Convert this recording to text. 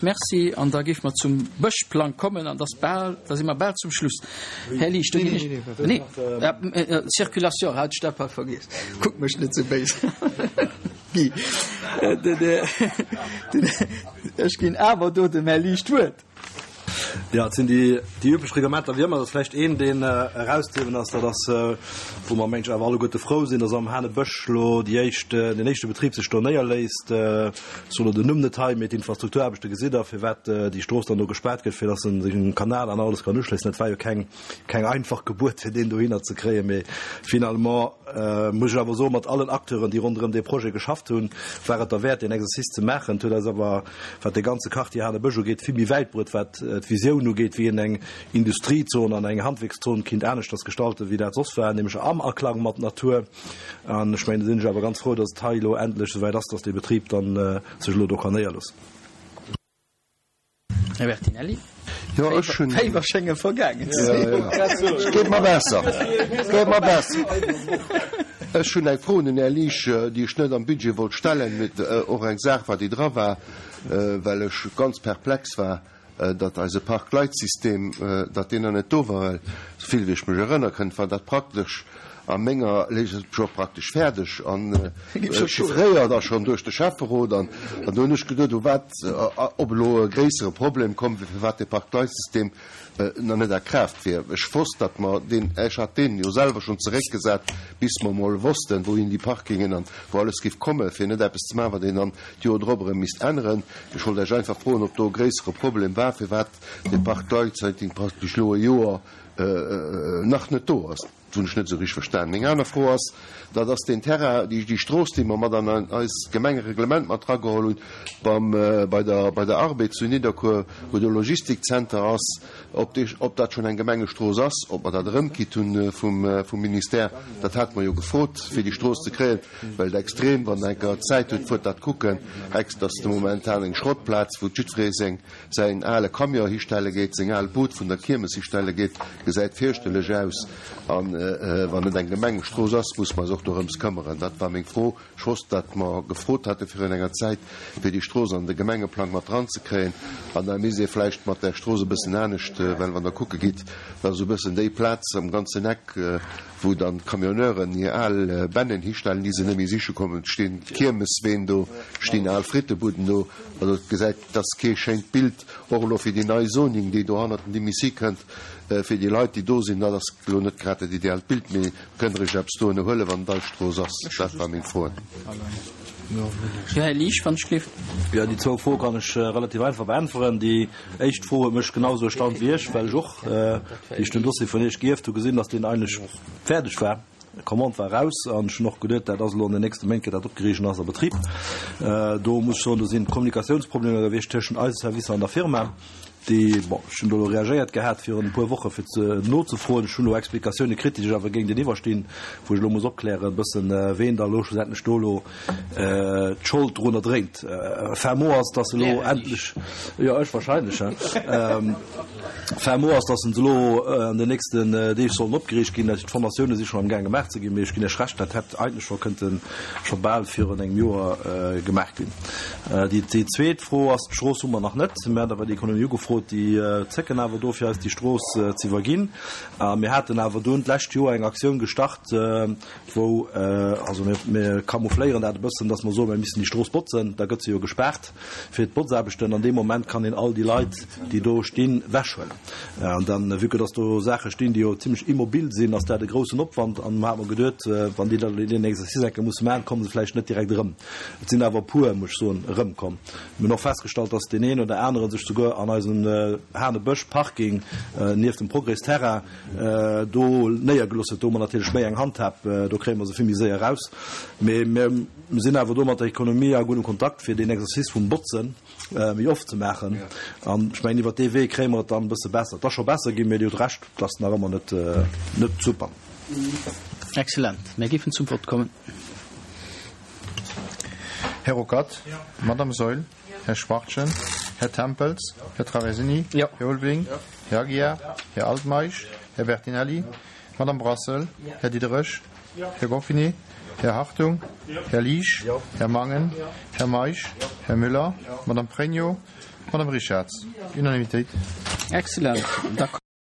Merci. An da géife mer zum Bëschplang kommen an dass bal, da si mer bal zum Schluss. Här Liesch, do ginn ech. Nee, Circulation, hat ech dat bal vergiess. Kuck mech net esou béis. Guy, ech ginn awer do dem Här Liesch d'Wuert. Jo, et sinn déi déi üblech Reglementer wéi ëmmer. Et ass vläicht een, deen erauszehiewen ass, dat ass, wou mer, mengen ech, awer alleguerte frou sinn, dass am Hanebësch elo déi éischt, deen éischte Betrib sech do néierléisst. Ech soen elo den Numm net hei, mee d'Infrastrukturaarbechte gesitt Der, firwat déi Strooss dann do gespaart gëtt, fir dass en sech un den Kanal an alles kann uschléissen. Dat war jo keng keng einfach Gebuert, fir deen dohinner ze kréien, mee finalement muss ech awer soen, mat allen Acteuren, déi ronderëm dee Projet geschafft hunn, war et derwäert, deen Exercice ze maachen. Et huet eis awer, wat dee ganze Quartier Hanebësch ugeet, vill méi wäit bruet, wat d'Visioun ugeet, wéi een eng Industriezon an eng Handwierkszon kinnt aneschters gestalten, wéi dat soss war, nämlech am Aklang mat Natur. An ech mengen, do sinn ech awer ganz frou, dass et hei elo endlech esouwäit ass, dass dee Betrib dann sech elo do kann néierloossen. Här Bertinelli, Jo, ech hunn. Féiwer schénge vergaangen ze sinn. Et geet mer besser. Et geet mer besser. Ech hunn eng Fro un den Här Liesch, déi ech net am Budget wollt stellen, mee och eng Saach war, déi dra war, well ech ganz perplex war, datt eise Parkleitsystem, datt deen nach net do war, well esouvill wéi ech mech erënnere kënnt, war dat praktesch a menger Legislatur scho praktesch fäerdeg an chiffréiert a schonn duerch de Schäfferot. An do hunn ech geduet, u wat, ob elo e gréissere Problem komm wier, firwat dee Parkleitsystem nach net a Kraaft wier. Ech wosst, datt mer deen, ech hat deen jo selwer schonn zeréckgesat, bis mer emol wossten, wouhin déi Parkingen an wou alles géif kommen, fir net eppes ze maachen, wat een dann d'Joer drop erëm misst änneren. Ech wollt Iech einfach froen, ob do e gréissere Problem war, firwat dee Parkleitsystem praktesch elo e Joer nach net do ass. Dat hunn ech net esou richteg verstanen. Meng aner Fro ass, dat ass deen Terrain, déi, déi Strooss, déi mer mat an eist Gemengereglement mat erageholl hunn, beim, bei der, bei der Arbed zu Nidderkuer, wou de Logistikzenter ass, ob dee, ob dat schonn eng Gemengestrooss ass, ob mer dat erëmkritt hunn vum, vum Ministère. Dat hate mer jo gefrot, fir déi Strooss ze kréien, well et extrem, wann Der eng Kéier Zäit hutt, fuert dat kucken, ex, dat ass de momentan eng Schrottplaz, wou jiddweree seng, säin ale Camion histelle geet, seng al Bud vun der Kiermes histelle geet, gesäit fierchterlech aus. A wann et eng Gemengestrooss ass, muss mer eis och dorëms këmmeren. Dat war meng Fro. Ech wosst, datt mer gefrot hate virun enger Zäit, fir déi Strooss an de Gemengeplang mat dranzekréien. An da misst ee vläicht mat där Strooss e bëssen anescht, well wann Der kucke gitt, dat ass esou e bëssen déi Plaz am ganzen Eck, wou dann d'Camionneuren hir al Bennen histellen, déi se net méi siche kommen. Et stinn Kiermesween do, stinn al Frittebuden do. Also et gesäit, et ass kee schéint Bild, och elo fir déi nei Zoning, déi do hannert den Dimisi kënnt, fir déi Leit, déi do sinn. Dat ass elo net grad dat ideaalt Bild, mee kënnt Der Iech eppes dohinner huelen, wann et eis Strooss ass? Dat war meng Froen. Jo, Här Liesch, wann ech gleef. Jo, déi zwou Froe kann ech relativ einfach beäntweren. Déi éischt Fro huet mech genau esou erstaunt wéi Iech, well ech och, wéi ech den Dossier vun Iech gierft hu, gesinn, datt deen eigentlech fäerdeg war. D'Commande war eraus an ech hunn och geduet, dat ass elo an den nächste Méint gëtt dat opgeriicht an ass a Betrib. Do muss ech soen, do sinn Kommunikatiounsproblemer gewiescht tëschent eise Servicer an der Firma, déi, bon, ech hunn do elo reagéiert gehat virun e puer Woche fir ze nozefroen. Ech hunn elo Explikatioune kritt, déi sech awer géinteniwwer stinn, wou ech elo muss opklären e bëssen, ween da elo schlussendlech do elo d'Schold drunner dréint. Fin mot ass, dass se elo endlech, jo ech wahrscheinlech, he, fin mot ass, dass se elo an den nächsten Deeg sollen opgeriicht ginn. D'Formatioune si schonn am Gaang gemaach ze ginn, mee ech ginn Iech Recht, dat hätt eigentlech scho kënnte scho bal virun engem Joer gemaach ginn. Déi zweet Fro ass, d'Strooss hu mer nach net. Mir haten awer d'Ekonomie ugefrot, déi zécken awer do fir eis déi Strooss z'iwwerginn. A mir haten awer dunn d'lescht Joer eng Aktioun gestart, wou, also mir, mir camoufléieren dat e bëssen, dass mer soen, mir missten déi Strooss botzen, da gëtt se jo gespaart fir d'Botzaarbechten. An deem Moment kann een all déi Leit, déi do stinn, wechhuelen. An dann, vue que dass do Saache stinn, déi jo zimlech immobil sinn, ass dat e groussen Opwand. An mer hate mer geduet, wann déi da deen Exercice eng Kéier musse maachen, komme se vläicht net direkt erëm. Et sinn awer e puer, muss ech soen, erëmkomm. Mir hunn och festgestallt, dass deen een oder anere sech souguer an eisem Hanebësch-Parking nieft dem Progrès-Terrain, do néiergelooss huet. Do hu mer natierlech méi eng Handhab, do kréie mer se vill méi séier eraus. Mee mir sinn awer do mat der Economie a guddem Kontakt, fir deen Exercice vum Botze méi oft ze maachen. An ech mengen, iwwert dee Wee kréie mer et dann e bësse besser. Et ass scho besser ginn, mee Dir hutt Recht, et ass nach ëmmer net, net super. Excellent. Mir géifen zum Vott kommen. Här Ruckert? Madamm Saeul? Här Schwachtgen, Här Tempels, Här Traversini, Här Ulveling, Här Aguiar, Här Altmeisch, Här Bertinelli, Madame Brassel, Här Diderich, Här Goffinet, Här Hartung, Här Liesch, Här Mangen, Här Meisch, Här Müller, Madame Pregno. Madame Richarz. Unanimitéit. Excellent.